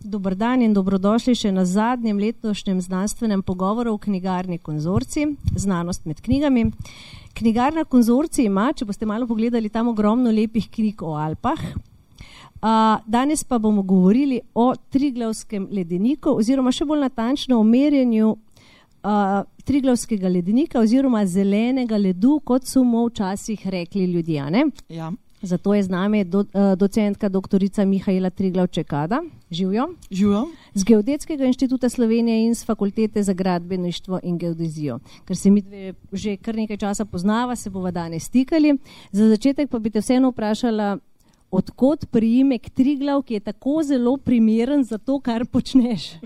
Dober dan in dobrodošli še na zadnjem letošnjem znanstvenem pogovoru v knjigarni Konzorcij, znanost med knjigami. Knjigarna Konzorcij ima, če boste malo pogledali, tam ogromno lepih knjig o Alpah. Danes pa bomo govorili o Triglavskem ledeniku oziroma še bolj natančno o merjenju Triglavskega ledenika oziroma zelenega ledu, kot so mu včasih rekli ljudje. Ne? Ja. Zato je z nami docentka doktorica Mihaela Triglav-Čekada. Živjo. Živjo. Z Geodetskega inštituta Slovenije in z Fakultete za gradbeništvo in geodezijo. Ker se mi dve že kar nekaj časa poznava, se bova danes stikali. Za začetek pa bi te vseeno vprašala, odkot priimek Triglav, ki je tako zelo primeren za to, kar počneš?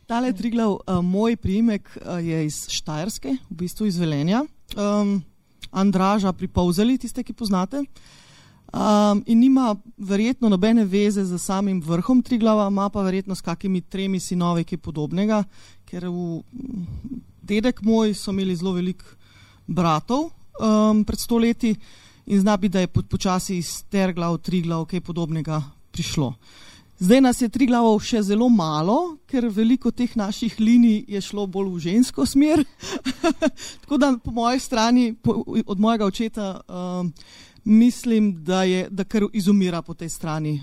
Tale Triglav, moj priimek je iz Štajerske, v bistvu iz Velenja. Andraža pri Polzeli, tiste, ki poznate. In nima verjetno nobene veze z samim vrhom Triglava, ima pa verjetno s kakimi 3 sinovi, ki podobnega, ker dedek moj so imeli zelo veliko bratov pred 100 leti in zna bi, da je počasi iz Terglav, Triglav, kaj podobnega prišlo. Zdaj nas je Triglavov še zelo malo, ker veliko teh naših linij je šlo bolj v žensko smer. Tako da po moji strani, od mojega očeta, mislim, da kar izumira po tej strani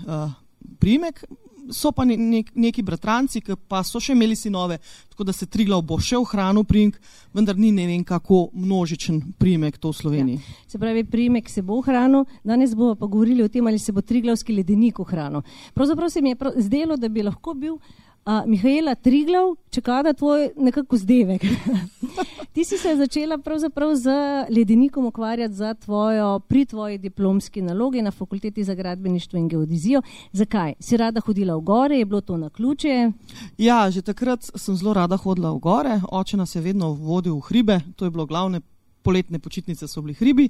priimek. So pa neki bratranci, ki pa so še imeli sinove, tako da se Triglav bo še ohranil priimek, vendar ni ne vem kako množičen priimek to v Sloveniji. Ja. Se pravi, priimek se bo ohranil, danes bomo pa govorili o tem, ali se bo Triglavski ledenik ohranil. Pravzaprav se mi je zdelo, da bi lahko bil Mihaela Triglav-Čekada tvoj nekako zdevek. Ti si se začela pravzaprav z ledenikom ukvarjati pri tvoji diplomski nalogi na Fakulteti za gradbeništvo in geodezijo. Zakaj? Si rada hodila v gore, je bilo to naključje? Ja, že takrat sem zelo rada hodila v gore, oče nas je vedno vodil v hribe, to je bilo glavne poletne počitnice so bili hribi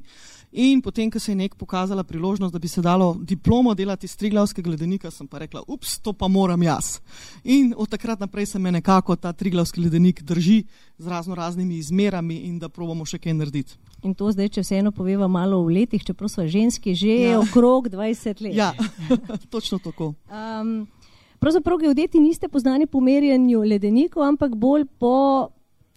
in potem, ko se je nek pokazala priložnost, da bi se dalo diplomo delati iz Triglavskega ledenika, sem pa rekla, to pa moram jaz. In od takrat naprej se me nekako ta Triglavski ledenik drži z raznimi izmerami in da probamo še kaj narediti. In to zdaj, če vseeno poveva malo v letih, čeprav smo ženski že okrog 20 let. Ja, točno tako. Pravzaprav geodeti niste poznani po merjenju ledenikov, ampak bolj po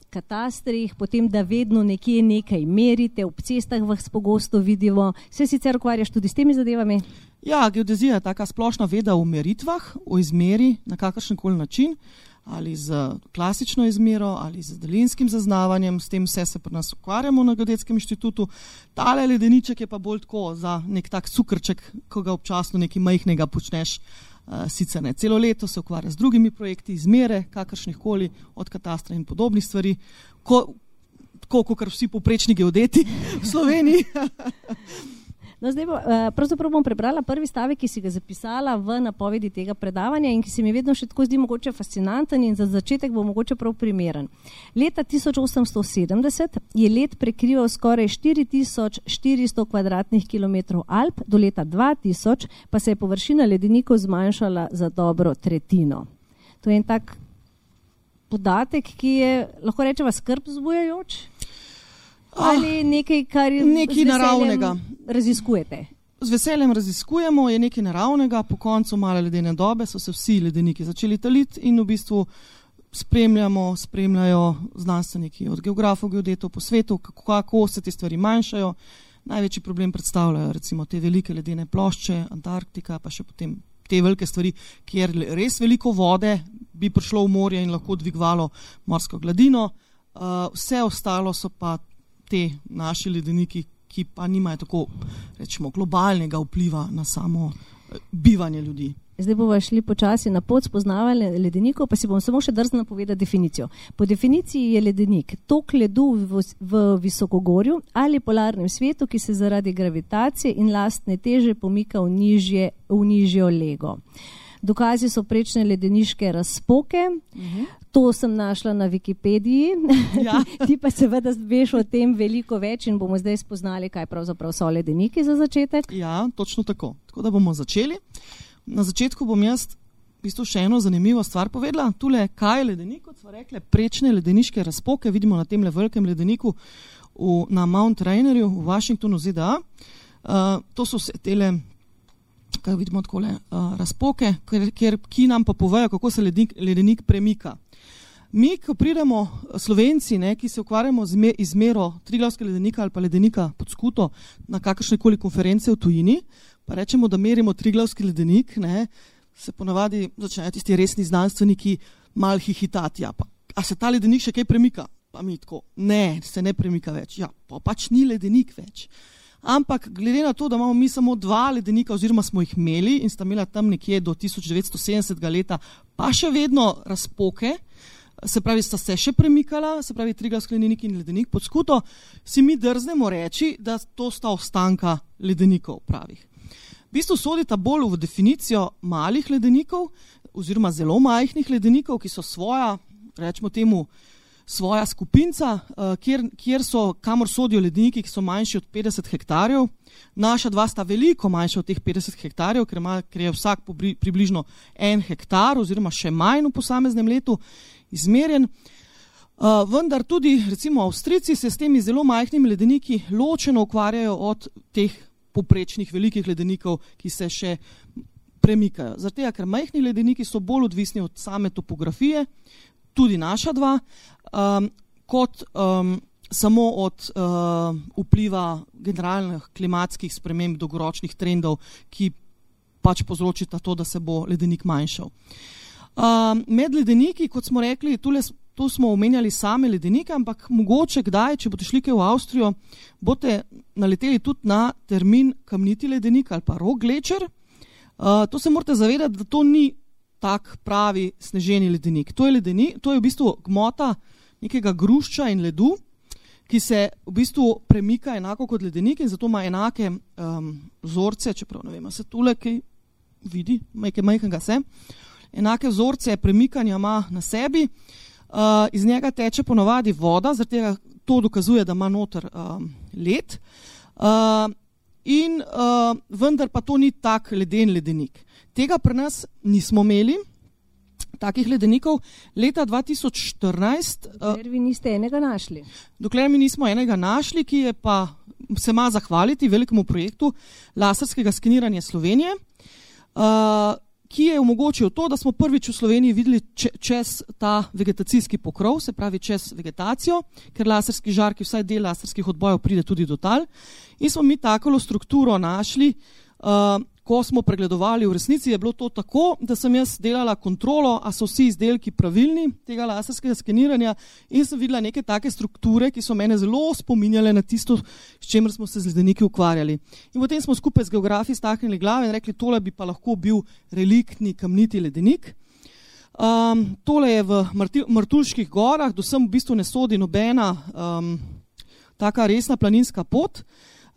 katastrih, potem, da vedno nekje nekaj merite, ob cestah vas pogosto vidimo. Se sicer ukvarjaš tudi s temi zadevami? Ja, geodezija je taka splošna veda o meritvah, o izmeri na kakršenkoli način, ali z klasično izmero, ali z daljinskim zaznavanjem, s tem vse se pri nas ukvarjamo na Geodetskem inštitutu. Tale ledeniček je pa bolj tako za nek tak cukrček, ko ga občasno nekaj majhnega počneš. Sicer ne celo leto, se ukvarja z drugimi projekti, izmere, kakršnih koli, od katastra in podobnih stvari, tako kot vsi povprečni geodeti v Sloveniji. No, zdaj pravzaprav bom prebrala prvi stavek, ki si ga zapisala v napovedi tega predavanja in ki se mi vedno še tako zdi mogoče fascinanten in za začetek bo mogoče prav primeren. Leta 1870 je led prekrival skoraj 4400 kvadratnih kilometrov Alp, do leta 2000 pa se je površina ledenikov zmanjšala za dobro tretjino. To je en tak podatek, ki je, lahko rečeva, skrb vzbujajoč? Ali nekaj, kar nekaj naravnega raziskujete? Z veseljem raziskujemo, je nekaj naravnega. Po koncu male ledene dobe so se vsi ledeniki začeli taliti in v bistvu spremljajo znanstveniki od geografov, geodetov po svetu, kako se te stvari manjšajo. Največji problem predstavljajo recimo te velike ledene plošče, Antarktika, pa še potem te velike stvari, kjer res veliko vode bi prišlo v morje in lahko dvigovalo morsko gladino. Vse ostalo so pa te naši ledeniki, ki pa nimajo tako, rečemo, globalnega vpliva na samo bivanje ljudi. Zdaj bomo šli počasi na pot spoznavanja ledenikov, pa si bom samo še drznila povedati definicijo. Po definiciji je ledenik tok ledu v visokogorju ali polarnem svetu, ki se zaradi gravitacije in lastne teže pomika v nižjo lego. Dokazi so prečne ledeniške razpoke. To sem našla na Wikipediji. Ja. Ti pa seveda veš o tem veliko več in bomo zdaj spoznali, kaj pravzaprav so ledeniki za začetek. Ja, točno tako. Tako da bomo začeli. Na začetku bom jaz v bistvu še eno zanimivo stvar povedala. Tule, kaj je ledenik, kot smo rekli, prečne ledeniške razpoke. Vidimo na tem velikem ledeniku na Mount Rainerju v Washingtonu, ZDA. To so vse tele tukaj vidimo takole razpoke, ki nam pa povejo, kako se ledenik premika. Mi, ko pridemo Slovenci, ki se ukvarjamo z izmero Triglavskega ledenika ali pa ledenika pod Skuto na kakršnekoli konference v tujini, pa rečemo, da merimo Triglavski ledenik, se ponavadi začnejo tisti resni znanstveniki malo hihitati. Ja, a se ta ledenik še kaj premika? Pa mi tako, ne, se ne premika več. Ja, pa pač ni ledenik več. Ampak glede na to, da imamo mi samo 2 ledenika oziroma smo jih imeli in sta imela tam nekje do 1970 leta pa še vedno razpoke, se pravi, sta se še premikala, se pravi Triglavski ledenik in ledenik pod Skuto, si mi drznemo reči, da to sta ostanka ledenikov pravih. V bistvu sodita bolj v definicijo malih ledenikov oziroma zelo majhnih ledenikov, ki so svoja, rečemo temu, svoja skupinca, kamor sodijo ledeniki, ki so manjši od 50 hektarjev. Naša 2 sta veliko manjša od teh 50 hektarjev, ker je vsak približno 1 hektar oziroma še manj v posameznem letu izmerjen. Vendar tudi recimo Avstrijci se s temi zelo majhnimi ledeniki ločeno ukvarjajo od teh poprečnih velikih ledenikov, ki se še premikajo. Zato, ker majhni ledeniki so bolj odvisni od same topografije, tudi naša 2, kot samo od vpliva generalnih klimatskih sprememb, dolgoročnih trendov, ki pač povzročita to, da se bo ledenik manjšal. Med ledeniki, kot smo rekli, tu smo omenjali same ledenike, ampak mogoče kdaj, če boste šli kaj v Avstrijo, boste naleteli tudi na termin kamniti ledenik ali pa rock glacier. To se morate zavedati, da to ni tak pravi sneženi ledenik. To je v bistvu gmota nekega grušča in ledu, ki se v bistvu premika enako kot ledenik in zato ima enake vzorce, čeprav ne vem, se tule kaj vidi, majhnega se, enake vzorce premikanja ima na sebi, iz njega teče ponovadi voda, zaradi tega to dokazuje, da ima noter led, vendar pa to ni tak leden ledenik. Tega pri nas nismo imeli, takih ledenikov. Leta 2014... Dokler vi niste enega našli. Dokler mi nismo enega našli, ki je pa se ima zahvaliti velikemu projektu laserskega skeniranja Slovenije, ki je omogočil to, da smo prvič v Sloveniji videli čez ta vegetacijski pokrov, se pravi čez vegetacijo, ker laserski žarki, vsaj del laserskih odbojev pride tudi do tal. In smo mi takolo strukturo našli, ko smo pregledovali. V resnici je bilo to tako, da sem jaz delala kontrolo, a so vsi izdelki pravilni tega laserskega skeniranja in sem videla neke take strukture, ki so mene zelo spominjale na tisto, s čemer smo se z ledeniki ukvarjali. In potem smo skupaj z geografi stahnili glave in rekli, tole bi pa lahko bil reliktni kamniti ledenik. Tole je v Martuljških gorah, do sem v bistvu ne sodi nobena taka resna planinska pot,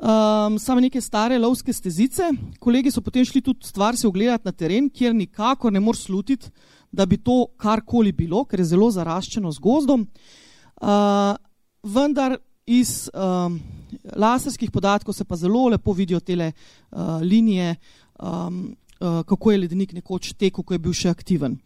samo neke stare lovske stezice. Kolegi so potem šli tudi stvar se ogledati na teren, kjer nikakor ne moreš slutiti, da bi to karkoli bilo, ker je zelo zaraščeno z gozdom. Vendar iz laserskih podatkov se pa zelo lepo vidijo tele linije, kako je ledenik nekoč tekel, ko je bil še aktiven.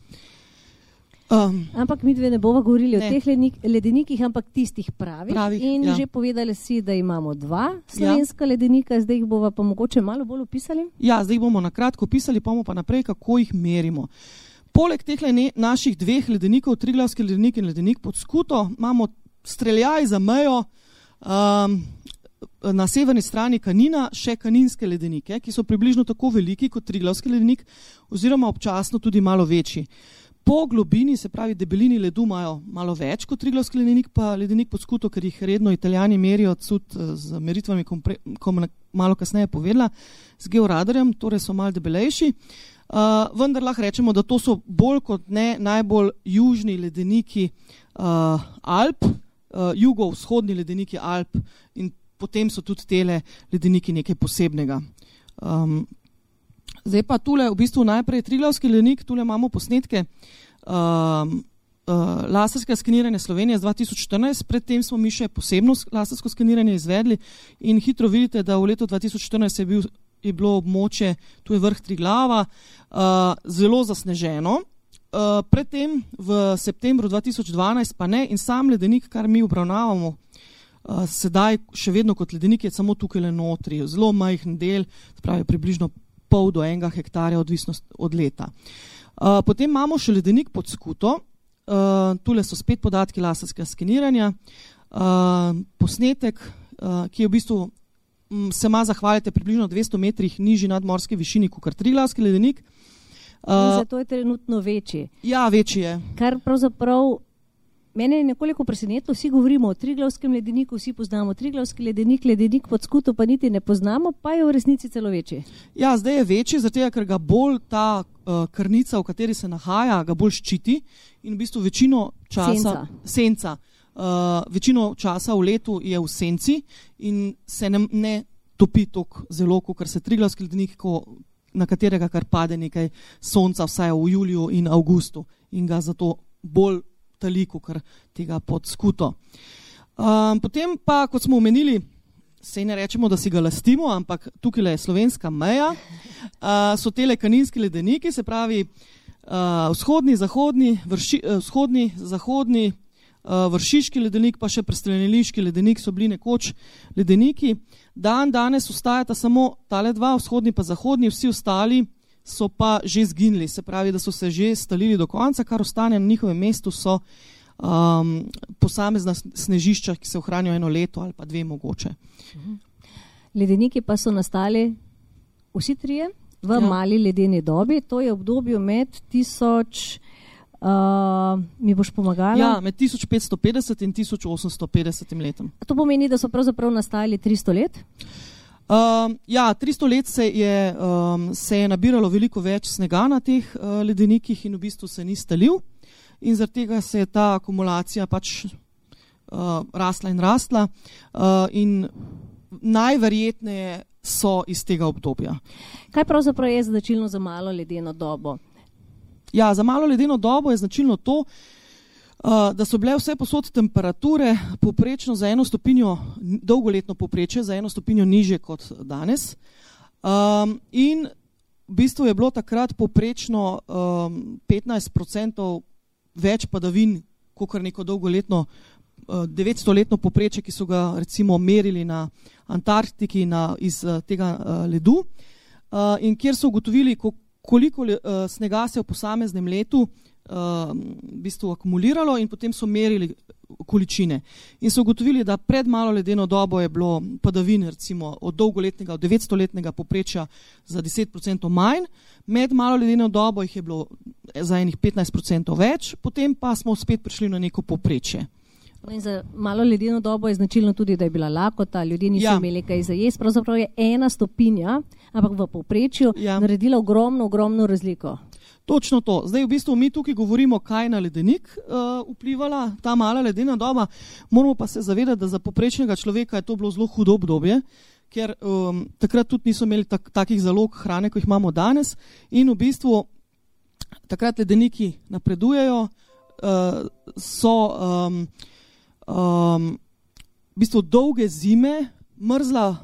Ampak mi dve ne bova govorili o teh ledenikih, ampak tistih pravih. In že povedali si, da imamo 2 slovenska ledenika, zdaj jih bova pa mogoče malo bolj opisali. Ja, zdaj jih bomo na kratko opisali, pa bomo pa naprej, kako jih merimo. Poleg teh naših 2 ledenikov, Triglavski ledenik in ledenik pod Skuto, imamo streljaj za mejo na severni strani Kanina še kaninske ledenike, ki so približno tako veliki kot Triglavski ledenik oziroma občasno tudi malo večji. Po globini, se pravi debelini ledu, imajo malo več kot Triglavski ledenik, pa ledenik pod Skuto, ker jih redno Italijani merijo z meritvami, ko malo kasneje povedala, z georadarjem, torej so malo debelejši. Vendar lahko rečemo, da to so bolj kot ne najbolj južni ledeniki Alp, jugovzhodni ledeniki Alp in potem so tudi tele ledeniki nekaj posebnega. Zdaj pa tule v bistvu najprej Triglavski ledenik, tule imamo posnetke laserskega skeniranja Slovenije z 2014, predtem smo mi še posebno lasersko skeniranje izvedli in hitro vidite, da v letu 2014 je bilo območje, tu je vrh Triglava, zelo zasneženo. Predtem v septembru 2012 pa ne in sam ledenik, kar mi obravnavamo sedaj še vedno kot ledenik, je samo tukaj le notri, zelo majhen del, pravi približno pol do 1 hektarja, odvisno od leta. Potem imamo še ledenik pod Skuto. Tule so spet podatki laserskega skeniranja. Posnetek, ki je v bistvu se ima zahvalite približno 200 metrih nižji nadmorske višini kot Triglavski ledenik. Zato je trenutno večji. Ja, večji je. Kar pravzaprav mene je nekoliko presenetilo, vsi govorimo o Triglavskem ledeniku, vsi poznamo Triglavski ledenik, ledenik pod Skuto pa niti ne poznamo, pa je v resnici celo večji. Ja, zdaj je večji, zato ker ga bolj ta krnica, v kateri se nahaja, ga bolj ščiti in v bistvu večino časa senca. Večino časa v letu je v senci in se ne topi toliko zelo, kot se Triglavski ledenik, na katerega kar pade nekaj sonca, vsaj v juliju in avgustu in ga zato bolj taliku, kar tega pod Skuto. Potem pa, kot smo omenili, sej ne rečemo, da si ga lastimo, ampak tukaj je slovenska meja, so tele kaninski ledeniki, se pravi vzhodni, zahodni, Vršiški ledenik, pa še Prestreneliški ledenik so bili nekoč ledeniki. Danes ostajata samo tale dva, vzhodni pa zahodni, vsi ostali so pa že zginili, se pravi, da so se že stalili do konca, kar ostane na njihovem mestu so posamezna snežišča, ki se ohranijo 1 leto ali pa 2 mogoče. Ledeniki pa so nastali vsi trije v mali ledeni dobi, to je obdobje med mi boš pomagala? Ja, med 1550 in 1850 letom. To pomeni, da so pravzaprav nastali 300 let? 300 let se je nabiralo veliko več snega na teh ledenikih in v bistvu se ni stalil in zaradi tega se je ta akumulacija pač rastla in najverjetneje so iz tega obdobja. Kaj pravzaprav je značilno za malo ledeno dobo? Ja, za malo ledeno dobo je značilno to, da so bile vse posod temperature povprečno za 1 stopinjo, dolgoletno povprečje za 1 stopinjo nižje kot danes. In v bistvu je bilo takrat povprečno 15% več padavin, kot neko dolgoletno 900-letno povprečje, ki so ga recimo merili na Antarktiki iz tega ledu. In kjer so ugotovili, koliko snega se v posameznem letu v bistvu akumuliralo in potem so merili količine. In so ugotovili, da pred malo ledeno dobo je bilo padavin recimo od dolgoletnega, od 900-letnega povprečja za 10% manj, med malo ledeno dobo jih je bilo za enih 15% več, potem pa smo spet prišli na neko povprečje. In za malo ledeno dobo je značilno tudi, da je bila lakota, ljudje niso imeli kaj za jesti, pravzaprav je 1 stopinja, ampak v povprečju naredila ogromno razliko. Točno to. Zdaj v bistvu mi tukaj govorimo, kaj na ledenik vplivala ta mala ledena doba, moramo pa se zavedati, da za povprečnega človeka je to bilo zelo hudo obdobje, ker takrat tudi niso imeli takih zalog hrane, kot jih imamo danes in v bistvu takrat ledeniki napredujejo, so v bistvu dolge zime, mrzla,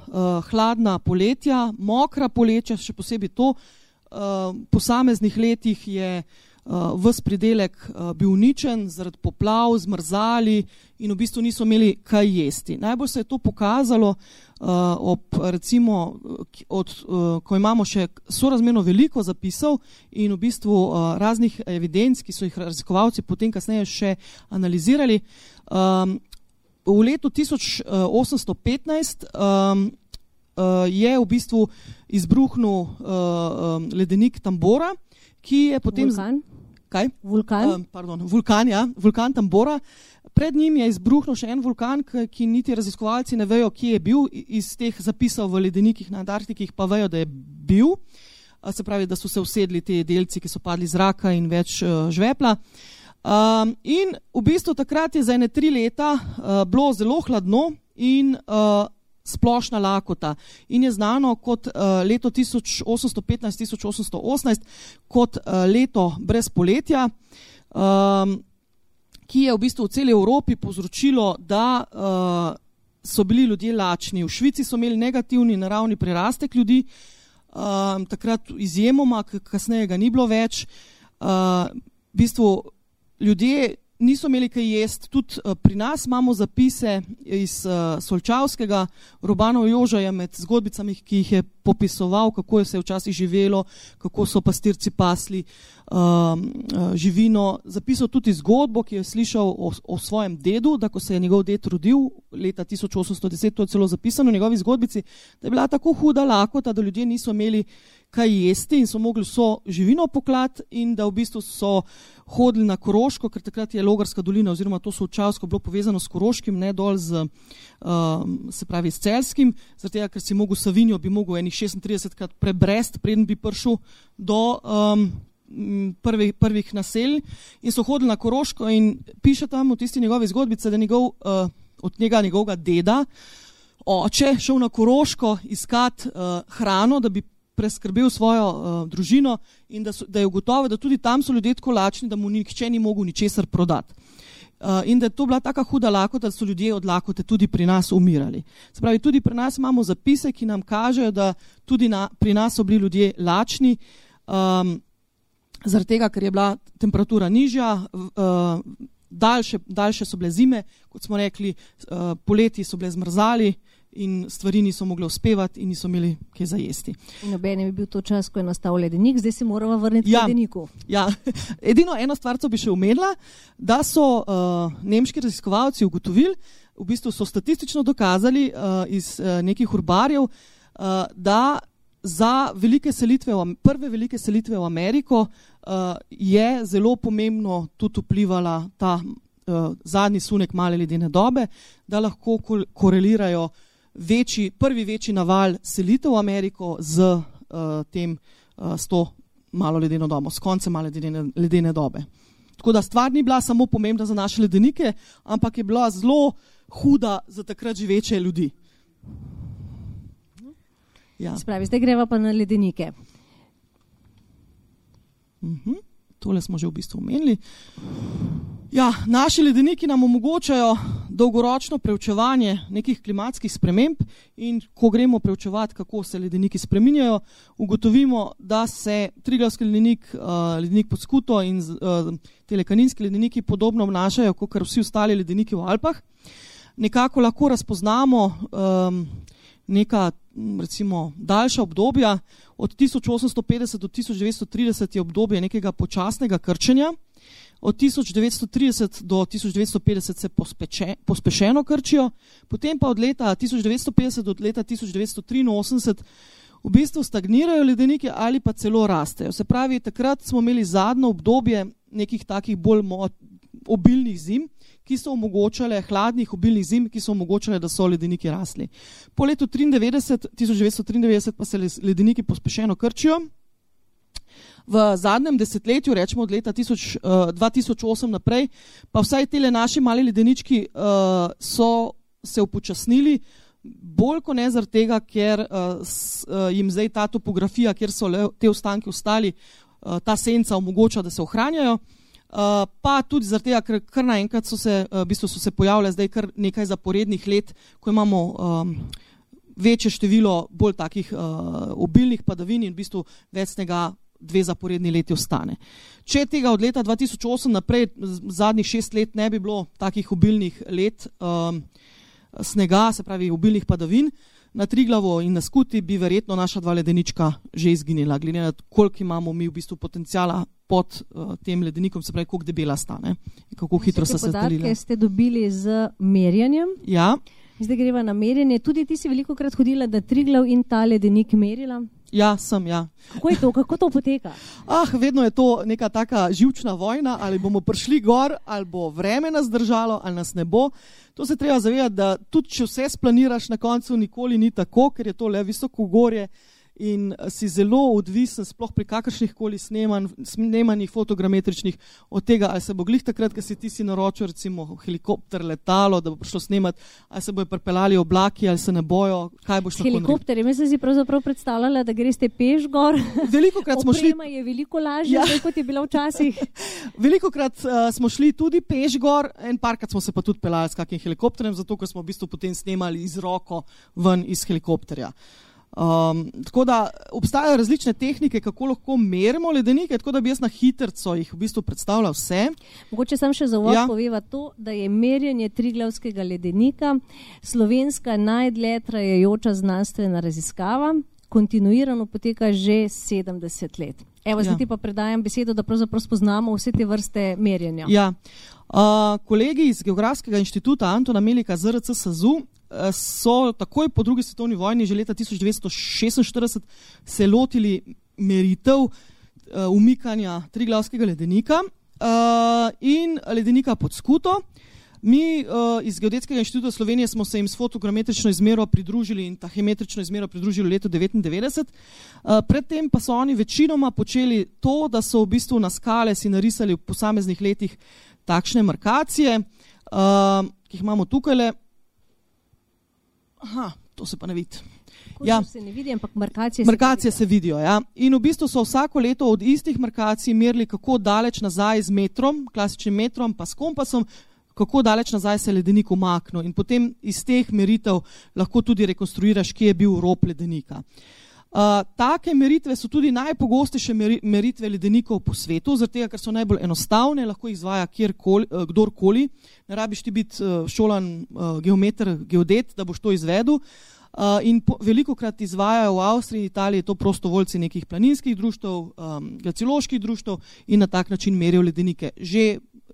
hladna poletja, mokra poletja, še posebej to. V posameznih letih je ves pridelek bil uničen zaradi poplav, zmrzali in v bistvu niso imeli kaj jesti. Najbolj se je to pokazalo ko imamo še sorazmerno veliko zapisov in v bistvu raznih evidenc, ki so jih raziskovalci potem kasneje še analizirali. V letu 1815 je v bistvu izbruhnil ledenik Tambora, ki je potem... Vulkan? Kaj? Vulkan? Vulkan, ja. Vulkan Tambora. Pred njim je izbruhnil še en vulkan, ki niti raziskovalci ne vejo, kje je bil. Iz teh zapisov v ledenikih na Antarktikih pa vejo, da je bil. Se pravi, da so se usedli te delci, ki so padli iz zraka in več žvepla. In v bistvu takrat je za 3 leta bilo zelo hladno in splošna lakota in je znano kot leto 1815-1818 kot leto brez poletja, ki je v bistvu v celi Evropi povzročilo, da so bili ljudje lačni. V Švici so imeli negativni naravni prirastek ljudi, takrat izjemoma, kasneje ga ni bilo več. V bistvu ljudje niso imeli kaj jesti. Tudi pri nas imamo zapise iz Solčavskega. Robanov Joža je med zgodbicami, ki jih je popisoval, kako se je včasih živelo, kako so pastirci pasli živino. Zapisal tudi zgodbo, ki je slišal o svojem dedu, da ko se je njegov ded rodil leta 1810, to je celo zapisano v njegovi zgodbici, da je bila tako huda lakota, da ljudje niso imeli kaj jesti in so mogli vso živino poklati in da v bistvu so hodili na Koroško, ker takrat je Logarska dolina oziroma to Solčavsko bilo povezano s Koroškim, ne dol z, se pravi s Celjskim, zaradi tega, ker si mogel Savinjo, bi mogel enih 36krat prebrest, preden bi prišel do prvih naselj in so hodili na Koroško in piše tam v tisti njegovi zgodbici, da od njegovega deda oče šel na Koroško iskat hrano, da bi preskrbel svojo družino in da je ugotovil, da tudi tam so ljudje tako lačni, da mu nihče ni mogel ničesar prodati. In da je to bila taka huda lakota, da so ljudje od lakote tudi pri nas umirali. Se pravi, tudi pri nas imamo zapise, ki nam kažejo, da tudi pri nas so bili ljudje lačni, zaradi tega, ker je bila temperatura nižja, daljše so bile zime, kot smo rekli, poleti so bile zmrzali in stvari niso mogle uspevati in niso imeli kaj za jesti. In obenem je bil to čas, ko je nastal ledenik, zdaj se moramo vrniti k ledeniku. Ja, edino eno stvar, co bi še omenila, da so nemški raziskovalci ugotovili, v bistvu so statistično dokazali iz nekih urbarjev, da za prve velike selitve v Ameriko je zelo pomembno tudi vplivala ta zadnji sunek male ledene dobe, da lahko korelirajo prvi večji naval selitev v Ameriko s to malo ledeno dobo, s koncem male ledene dobe. Tako da stvar ni bila samo pomembna za naše ledenike, ampak je bila zelo huda za takrat živeče ljudi. Ja. Spravi, zdaj greva pa na ledenike. Tole smo že v bistvu omenili. Ja, naši ledeniki nam omogočajo dolgoročno preučevanje nekih klimatskih sprememb in ko gremo preučevati, kako se ledeniki spreminjajo, ugotovimo, da se Triglavski ledenik pod Skuto in Telekaninski ledeniki podobno obnašajo, kot vsi ostali ledeniki v Alpah. Nekako lahko razpoznamo neka, recimo, daljša obdobja. Od 1850 do 1930 je obdobje nekega počasnega krčenja. Od 1930 do 1950 se pospešeno krčijo, potem pa od leta 1950 do leta 1983 v bistvu stagnirajo ledeniki ali pa celo rastejo. Se pravi, takrat smo imeli zadnjo obdobje nekih takih bolj obilnih zim, ki so omogočale, hladnih obilnih zim, ki so omogočale, da so ledeniki rasli. Po letu 1993 pa se ledeniki pospešeno krčijo. V zadnjem desetletju, rečemo od leta 2008 naprej, pa vsaj tele naši mali ledenički so se upočasnili, bolj kot ne zaradi tega, ker jim zdaj ta topografija, kjer so te ostanki ostali, ta senca omogoča, da se ohranjajo, pa tudi zaradi tega, ker kar naenkrat so se pojavile zdaj kar nekaj zaporednih let, ko imamo večje število bolj takih obilnih padavin in v bistvu več snega 2 zaporedni leti ostane. Če tega od leta 2008 naprej, zadnjih 6 let ne bi bilo takih obilnih let snega, se pravi obilnih padavin, na Triglavu in na Skuti bi verjetno naša 2 ledenička že izginila, glede na koliko imamo mi v bistvu potencijala pod tem ledenikom, se pravi, koliko debela stane in kako hitro so se stalile. Podatke ste dobili z merjenjem. Ja. Zdaj greva na merjenje. Tudi ti si veliko krat hodila, da Triglav in ta ledenik merila? Ja, sem, ja. Kako je to? Kako to poteka? Vedno je to neka taka živčna vojna, ali bomo prišli gor, ali bo vreme nas držalo, ali nas ne bo. To se treba zavedati, da tudi če vse splaniraš, na koncu nikoli ni tako, ker je to le visoko gorje in si zelo odvisen, sploh pri kakršnih koli snemanjih fotogrametričnih, od tega, ali se bo glih takrat, ko si ti naročil recimo helikopter, letalo, da bo prišlo snemati, ali se bojo pripeljali oblaki, ali se ne bojo, kaj boš lahko naredil. Helikopterji, mislim si pravzaprav predstavljala, da greste peš gor. Velikokrat smo šli. Oprema je veliko lažja, kot je bila včasih. Velikokrat smo šli tudi peš gor, en parkrat smo se pa tudi peljali s kakim helikopterjem, zato ker smo v bistvu potem snemali iz roko ven iz helikopterja. Tako da obstajajo različne tehnike, kako lahko merimo ledenike, tako da bi jaz na hitrco jih v bistvu predstavljal vse. Mogoče sam še za uvod poveva to, da je merjenje Triglavskega ledenika slovenska najdlje trajajoča znanstvena raziskava, kontinuirano poteka že 70 let. Evo, zdaj ti pa predajam besedo, da pravzaprav spoznamo vse te vrste merjenja. Ja. Kolegi iz Geografskega inštituta Antona Melika ZRC SAZU so takoj po drugi svetovni vojni, že leta 1946, se lotili meritev umikanja Triglavskega ledenika in ledenika pod Skuto. Mi iz Geodetskega inštituta Slovenije smo se jim s fotogrametrično izmero pridružili in tahimetrično izmero pridružili v letu 1999. Predtem pa so oni večinoma počeli to, da so v bistvu na skale si narisali v posameznih letih takšne markacije, ki jih imamo tukajle. Aha, to se pa ne vidi. Ja. Se ne vidi, ampak markacije se vidijo. Ja. In v bistvu so vsako leto od istih markacij merili, kako daleč nazaj z metrom, klasičnim metrom, pa s kompasom, kako daleč nazaj se ledenik umaknil. In potem iz teh meritev lahko tudi rekonstruiraš, kje je bil rob ledenika. Take meritve so tudi najpogostejše meritve ledenikov po svetu, zaradi tega, ker so najbolj enostavne, lahko jih izvaja kdorkoli. Ne rabiš ti biti šolan geometer, geodet, da boš to izvedel. In velikokrat izvajajo v Avstriji in Italiji to prostovoljci nekih planinskih društev, glacioloških društev in na tak način merijo ledenike.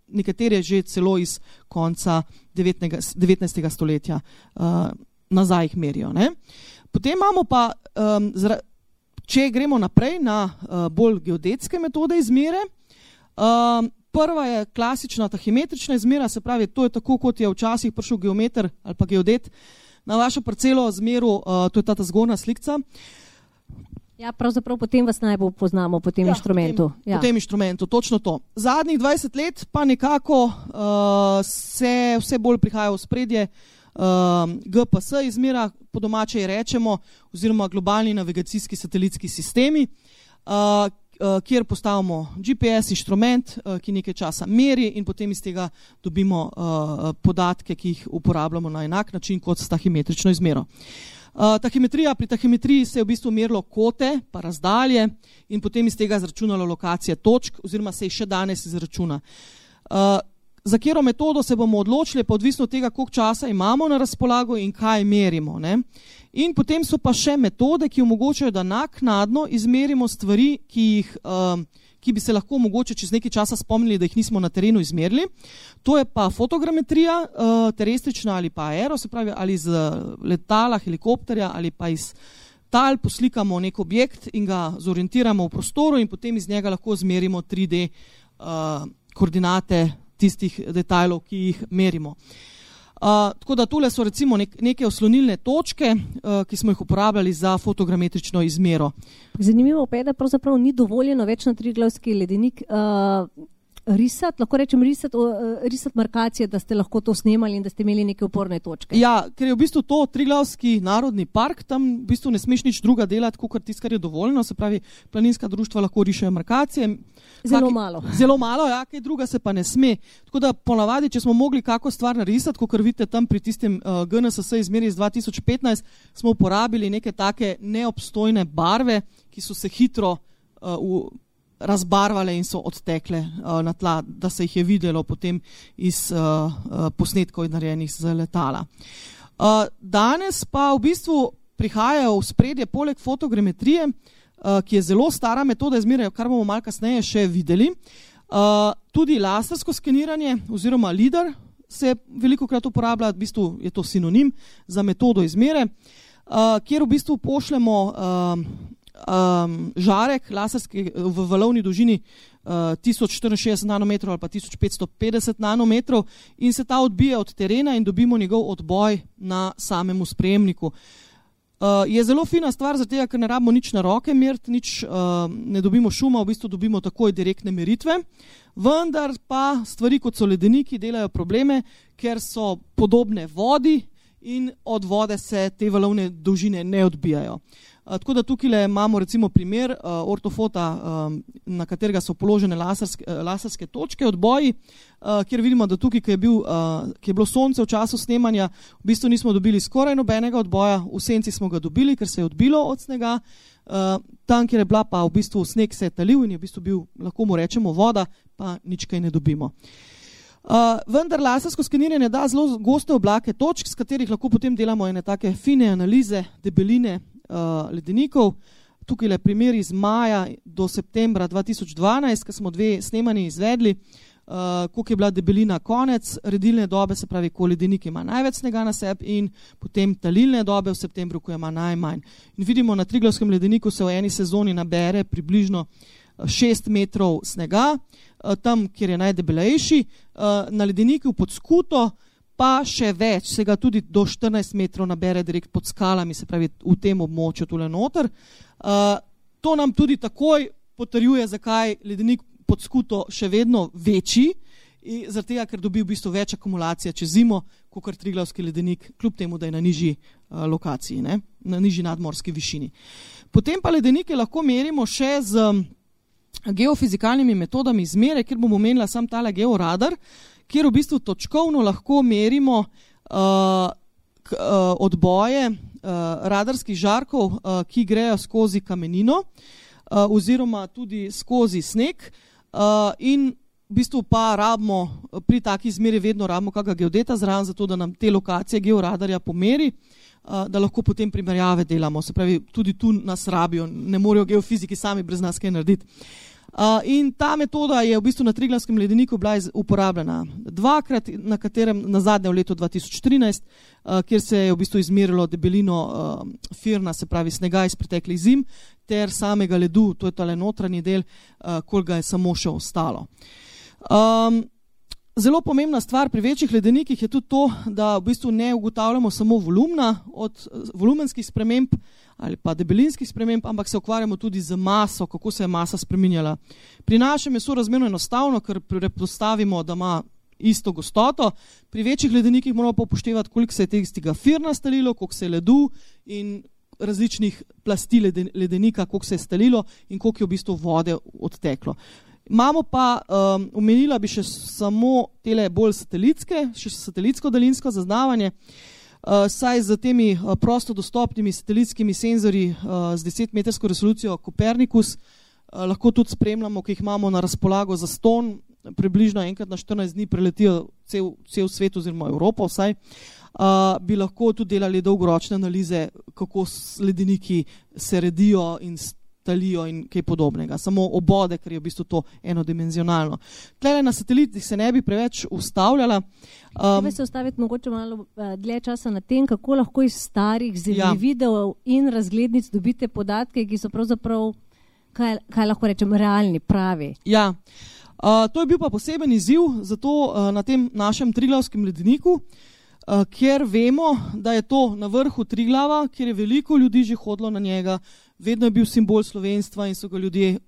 Nekatere že celo iz konca 19. stoletja nazaj jih merijo. Ne? Potem imamo pa, če gremo naprej na bolj geodetske metode izmere, prva je klasična tahimetrična izmera, se pravi, to je tako, kot je včasih prišel geometer ali pa geodet na vašo parcelo zmeril, to je ta zgornja slikca. Ja, pravzaprav potem vas najbolj poznamo po tem inštrumentu. Po tem inštrumentu, točno to. Zadnjih 20 let pa nekako se vse bolj prihaja v spredje GPS izmera, po domače rečemo, oziroma globalni navigacijski satelitski sistemi, kjer postavimo GPS inštrument, ki nekaj časa meri in potem iz tega dobimo podatke, ki jih uporabljamo na enak način kot s tahimetrično izmero. Pri tahimetriji se je v bistvu merilo kote pa razdalje in potem iz tega izračunalo lokacije točk oziroma se jih še danes izračuna. Za katero metodo se bomo odločili, pa odvisno od tega, koliko časa imamo na razpolago in kaj merimo. Ne? In potem so pa še metode, ki omogočajo, da naknadno izmerimo stvari, ki bi se lahko mogoče čez nekaj časa spomnili, da jih nismo na terenu izmerili. To je pa fotogrametrija, terestrična ali pa aero, se pravi ali iz letala, helikopterja ali pa iz tal poslikamo nek objekt in ga zorientiramo v prostoru in potem iz njega lahko izmerimo 3D koordinate tistih detajlov, ki jih merimo. Tako da tule so recimo neke oslonilne točke, ki smo jih uporabljali za fotogrametrično izmero. Zanimivo pa je, da pravzaprav ni dovoljeno več na Triglavski ledenik risati, lahko rečem risati markacije, da ste lahko to snemali in da ste imeli neke oporne točke. Ja, ker je v bistvu to Triglavski narodni park, tam v bistvu ne smeš nič druga delati, kot tisto, kar je dovoljeno, se pravi, planinska društva lahko rišejo markacije. Zelo malo. Zelo malo, ja, kaj druga se pa ne sme. Tako da ponavadi, če smo mogli kako stvar narisati, kot vidite tam pri tistem GNSS izmeri iz 2015, smo uporabili neke take neobstojne barve, ki so se hitro razbarvale in so odtekle na tla, da se jih je videlo potem iz posnetkov narejenih z letala. Danes pa v bistvu prihajajo v spredje poleg fotogrametrije, ki je zelo stara metoda izmere, kar bomo malo kasneje še videli, tudi lasersko skeniranje oziroma LIDAR se velikokrat uporablja, v bistvu je to sinonim za metodo izmere, kjer v bistvu pošljemo žarek laserski v valovni dolžini 1064 nanometrov ali pa 1550 nanometrov in se ta odbije od terena in dobimo njegov odboj na samemu sprejemniku. Je zelo fina stvar, zato ker ne rabimo nič na roke meriti, ne dobimo šuma, v bistvu dobimo takoj direktne meritve, vendar pa stvari kot so ledeniki delajo probleme, ker so podobne vodi in od vode se te valovne dolžine ne odbijajo. Tako da tukaj imamo recimo primer ortofota, na katerega so položene laserske točke, odboji, kjer vidimo, da tukaj, ki je bilo sonce v času snemanja, v bistvu nismo dobili skoraj nobenega odboja, v senci smo ga dobili, ker se je odbilo od snega, tam, kjer je bila pa v bistvu sneg se je talil in je v bistvu bil, lahko mu rečemo, voda, pa nič kaj ne dobimo. Vendar lasersko skeniranje da zelo goste oblake točk, s katerih lahko potem delamo ene take fine analize debeline ledenikov. Tukaj je primer iz maja do septembra 2012, ko smo 2 snemanji izvedli, koliko je bila debelina konec redilne dobe, se pravi, ko ledenik ima največ snega na sebi, in potem talilne dobe v septembru, ko ima najmanj. In vidimo, na Triglavskem ledeniku se v eni sezoni nabere približno 6 metrov snega, tam, kjer je najdebelejši, na ledeniku pod Skuto pa še več, se ga tudi do 14 metrov nabere direkt pod skalami, se pravi v tem območju tule noter. To nam tudi takoj potrjuje, zakaj ledenik pod Skuto še vedno večji, zaradi tega, ker dobi v bistvu več akumulacije čez zimo, kot Triglavski ledenik, kljub temu, da je na nižji lokaciji, ne? Na nižji nadmorski višini. Potem pa ledenike lahko merimo še z geofizikalnimi metodami izmere, kjer bomo menila sam tale georadar, kjer v bistvu točkovno lahko merimo odboje radarskih žarkov, ki grejo skozi kamenino oziroma tudi skozi sneg, in v bistvu pa rabimo, pri taki izmeri vedno rabimo kakega geodeta zraven, zato da nam te lokacije georadarja pomeri, da lahko potem primerjave delamo. Se pravi, tudi tu nas rabijo, ne morejo geofiziki sami brez nas kaj narediti. In ta metoda je v bistvu na Triglavskem ledeniku bila uporabljena 2-krat, na katerem nazadnje v letu 2013, kjer se je v bistvu izmerilo debelino firna, se pravi snega iz preteklih zim, ter samega ledu, to je tale notranji del, koliko ga je samo še ostalo. Zelo pomembna stvar pri večjih ledenikih je tudi to, da v bistvu ne ugotavljamo samo volumna od volumenskih sprememb ali pa debelinskih sprememb, ampak se ukvarjamo tudi z maso, kako se je masa spreminjala. Pri našem je sorazmerno enostavno, ker predpostavimo, da ima isto gostoto. Pri večjih ledenikih moramo pa upoštevati, koliko se je tega firna stalilo, koliko se je ledu in različnih plasti ledenika, koliko se je stalilo in koliko je v bistvu vode odteklo. Imamo pa, omenila bi še samo tele bolj satelitske, še satelitsko daljinsko zaznavanje, saj z temi prosto dostopnimi satelitskimi senzorji z 10-metrsko resolucijo Copernicus lahko tudi spremljamo, ki jih imamo na razpolago za ston, približno enkrat na 14 dni preletijo cel svet oziroma Evropo vsaj, bi lahko tudi delali dolgoročne analize, kako ledeniki se redijo in talijo in kaj podobnega. Samo obode, ker je v bistvu to enodimenzionalno. Tlele na satelitih se ne bi preveč ustavljala. Treba se ustaviti mogoče malo dlje časa na tem, kako lahko iz starih videov in razglednic dobite podatke, ki so pravzaprav, kaj lahko rečem, realni, pravi. Ja, to je bil pa poseben izziv, zato na tem našem Triglavskem ledeniku, kjer vemo, da je to na vrhu Triglava, kjer je veliko ljudi že hodilo na njega, vedno je bil simbol slovenstva in so ga ljudje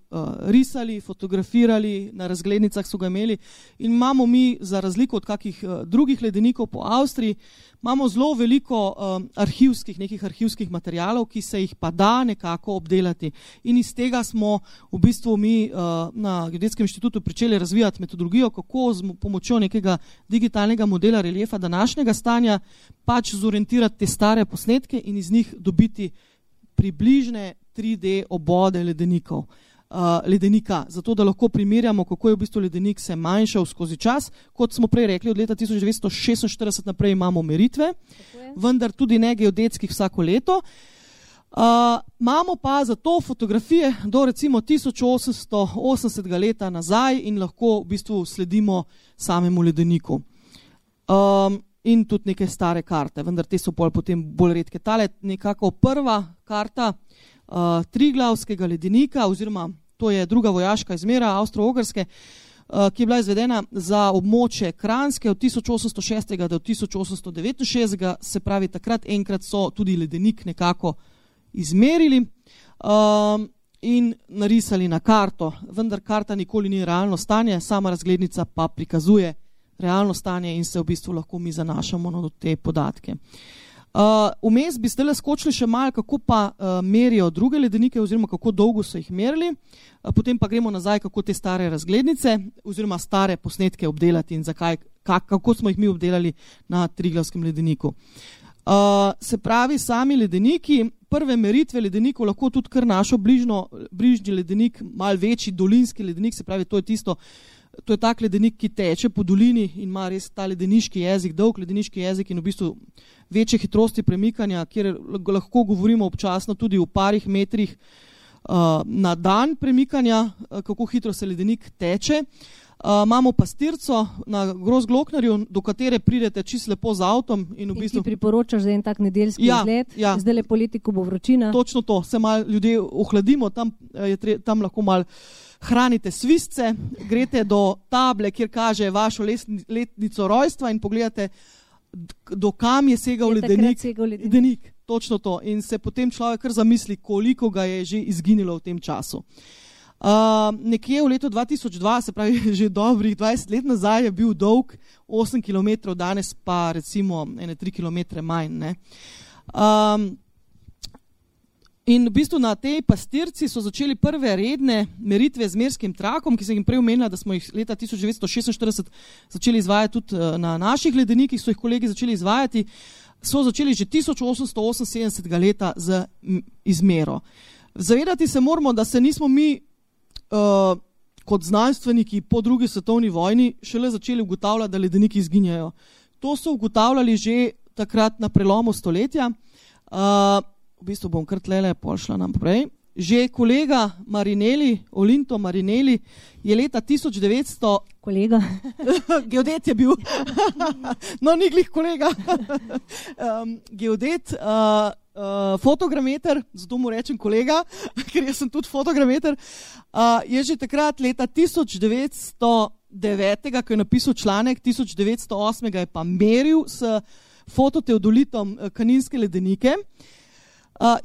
risali, fotografirali, na razglednicah so ga imeli. In imamo mi, za razliko od kakih drugih ledenikov po Avstriji, imamo zelo veliko nekih arhivskih materialov, ki se jih pa da nekako obdelati. In iz tega smo v bistvu mi na Geodetskem inštitutu pričeli razvijati metodologijo, kako z pomočjo nekega digitalnega modela reliefa današnjega stanja pač zorientirati te stare posnetke in iz njih dobiti približne 3D obode ledenika, zato da lahko primerjamo, kako je v bistvu ledenik se manjšal skozi čas. Kot smo prej rekli, od leta 1946 naprej imamo meritve, vendar tudi ne geodetskih vsako leto. Imamo pa za to fotografije do recimo 1880 leta nazaj in lahko v bistvu sledimo samemu ledeniku. In tudi neke stare karte, vendar te so potem bolj redke. Tale nekako prva karta Triglavskega ledenika, oziroma to je druga vojaška izmera Avstro-Ogrske, ki je bila izvedena za območje Kranjske od 1806. do 1869. Se pravi, takrat enkrat so tudi ledenik nekako izmerili in narisali na karto, vendar karta nikoli ni realno stanje, sama razglednica pa prikazuje realno stanje in se v bistvu lahko mi zanašamo na te podatke. Vmes bi zdaj skočili še malo, kako pa merijo druge ledenike oziroma kako dolgo so jih merili, potem pa gremo nazaj, kako te stare razglednice oziroma stare posnetke obdelati in kako smo jih mi obdelali na Triglavskem ledeniku. Se pravi, sami ledeniki, prve meritve ledenikov lahko tudi kar našo bližnji ledenik, malo večji dolinski ledenik, se pravi, to je tak ledenik, ki teče po dolini in ima res ta ledeniški jezik, dolg ledeniški jezik in v bistvu večje hitrosti premikanja, kjer lahko govorimo občasno tudi v parih metrih na dan premikanja, kako hitro se ledenik teče. Imamo pastirco na Grozgloknarju, do katere pridete čisto lepo z avtom. In v bistvu ti priporočaš za en tak nedeljski izlet? Ja. Zdaj le poleti, ko bo vročina. Točno to, se malo ljudje ohladimo, tam lahko malo hranite svisce, grete do table, kjer kaže vašo letnico rojstva in pogledate, do kam je segal ledenik. Točno to. In se potem človek kar zamisli, koliko ga je že izginilo v tem času. Nekje v letu 2002, se pravi že dobrih 20 let nazaj, je bil dolg 8 km, danes pa recimo 3 km manj. Ne? In v bistvu na tej pastirci so začeli prve redne meritve z merskim trakom, ki sem jim prej omenila, da smo jih leta 1946 začeli izvajati tudi na naših ledenikih, so jih kolegi začeli izvajati, so začeli že 1878 leta z izmero. Zavedati se moramo, da se nismo mi kot znanstveniki po drugi svetovni vojni šele začeli ugotavljati, da ledeniki izginjajo. To so ugotavljali že takrat na prelomu stoletja. V bistvu bom kar tlele pošla naprej. Že kolega Marinelli, Olinto Marinelli, je leta 1900... Kolega? Geodet je bil. No, ni glih kolega. Geodet, fotogrameter, zato mu rečem kolega, ker jaz sem tudi fotogrameter, je že takrat leta 1909, ko je napisal članek, 1908 je pa meril s fototeodolitom kaninske ledenike,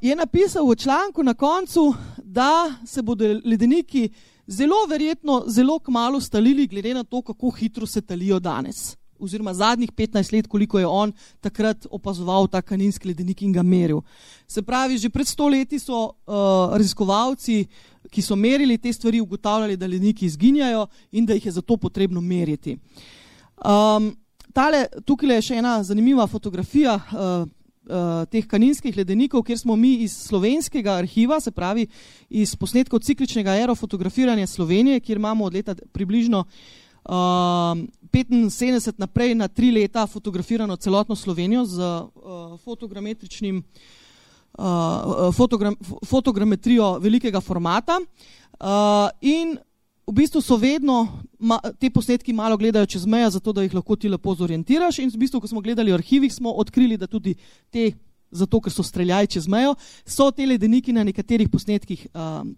je napisal v članku na koncu, da se bodo ledeniki zelo verjetno zelo kmalu stalili, glede na to, kako hitro se talijo danes. Oziroma zadnjih 15 let, koliko je on takrat opazoval ta kaninski ledenik in ga meril. Se pravi, že pred 100 leti so raziskovalci, ki so merili te stvari, ugotavljali, da ledeniki izginjajo in da jih je zato potrebno meriti. Tukaj je še ena zanimiva fotografija teh kaninskih ledenikov, kjer smo mi iz slovenskega arhiva, se pravi iz posnetkov cikličnega aerofotografiranja Slovenije, kjer imamo od leta približno 75 naprej na 3 leta fotografirano celotno Slovenijo z fotogrametrijo velikega formata in v bistvu so vedno te posnetki malo gledajo čez mejo, zato da jih lahko ti lepo zorientiraš in v bistvu, ko smo gledali v arhivih, smo odkrili, da tudi te, zato ker so streljali čez mejo, so te ledeniki na nekaterih posnetkih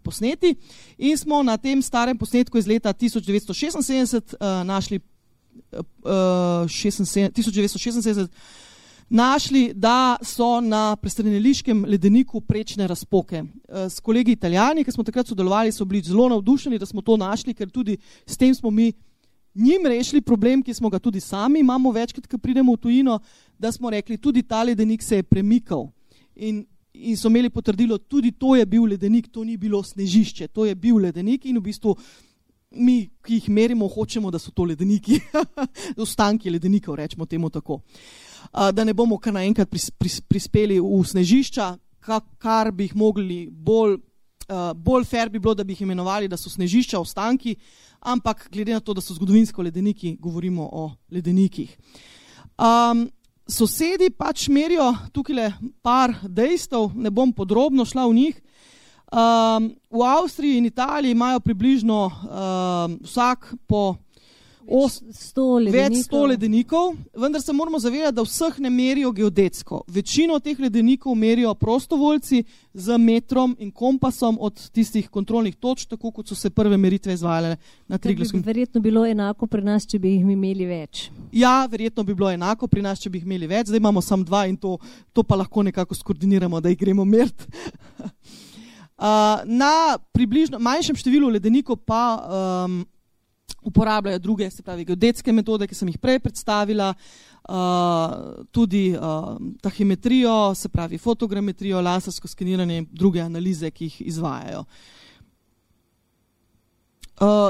posneti in smo na tem starem posnetku iz leta 1976 našli 1976 našli, da so na prestreneliškem ledeniku prečne razpoke. S kolegi Italijani, ki smo takrat sodelovali, so bili zelo navdušeni, da smo to našli, ker tudi s tem smo mi njim rešili problem, ki smo ga tudi sami imamo večkrat, ko pridemo v tujino, da smo rekli, tudi ta ledenik se je premikal in so imeli potrdilo, tudi to je bil ledenik, to ni bilo snežišče, to je bil ledenik in v bistvu mi, ki jih merimo, hočemo, da so to ledeniki, ostanki ledenikov, rečemo temu tako. Da ne bomo kar naenkrat prispeli v snežišča, kar bi jih mogli bolj fair bi bilo, da bi jih imenovali, da so snežišča, ostanki, ampak glede na to, da so zgodovinsko ledeniki, govorimo o ledenikih. Sosedi pač merijo tukaj par dejstev, ne bom podrobno šla v njih. V Avstriji in Italiji imajo približno vsak po več 100 ledenikov, vendar se moramo zavedati, da vseh ne merijo geodetsko. Večino teh ledenikov merijo prostovoljci z metrom in kompasom od tistih kontrolnih točk, tako kot so se prve meritve izvajale na Triglavskem. Verjetno bilo enako pri nas, če bi jih imeli več. Ja, verjetno bi bilo enako pri nas, če bi jih imeli več. Zdaj imamo samo 2 in to pa lahko nekako skoordiniramo, da jih gremo meriti. Na približno manjšem številu ledenikov pa uporabljajo druge, se pravi geodetske metode, ki sem jih prej predstavila, tudi tahimetrijo, se pravi fotogrametrijo, lasersko skeniranje in druge analize, ki jih izvajajo.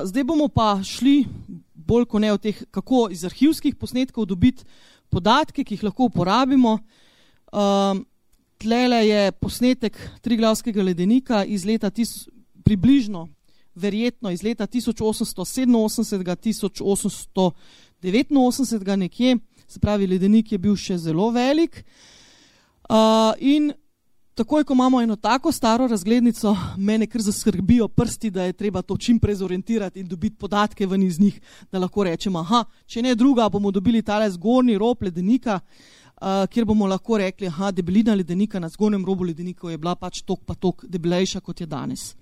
Zdaj bomo pa šli bolj kot ne o teh, kako iz arhivskih posnetkov dobiti podatke, ki jih lahko uporabimo. Tlele je posnetek Triglavskega ledenika iz leta približno, verjetno iz leta 1887-1889 nekje, se pravi ledenik je bil še zelo velik. In takoj, ko imamo eno tako staro razglednico, mene kar zaskrbijo prsti, da je treba to čim prej zorientirati in dobiti podatke ven iz njih, da lahko rečemo, če ne druga, bomo dobili tale zgornji rob ledenika, kjer bomo lahko rekli, debelina ledenika na zgornjem robu ledenikov je bila pač tok pa tok debelejša, kot je danes.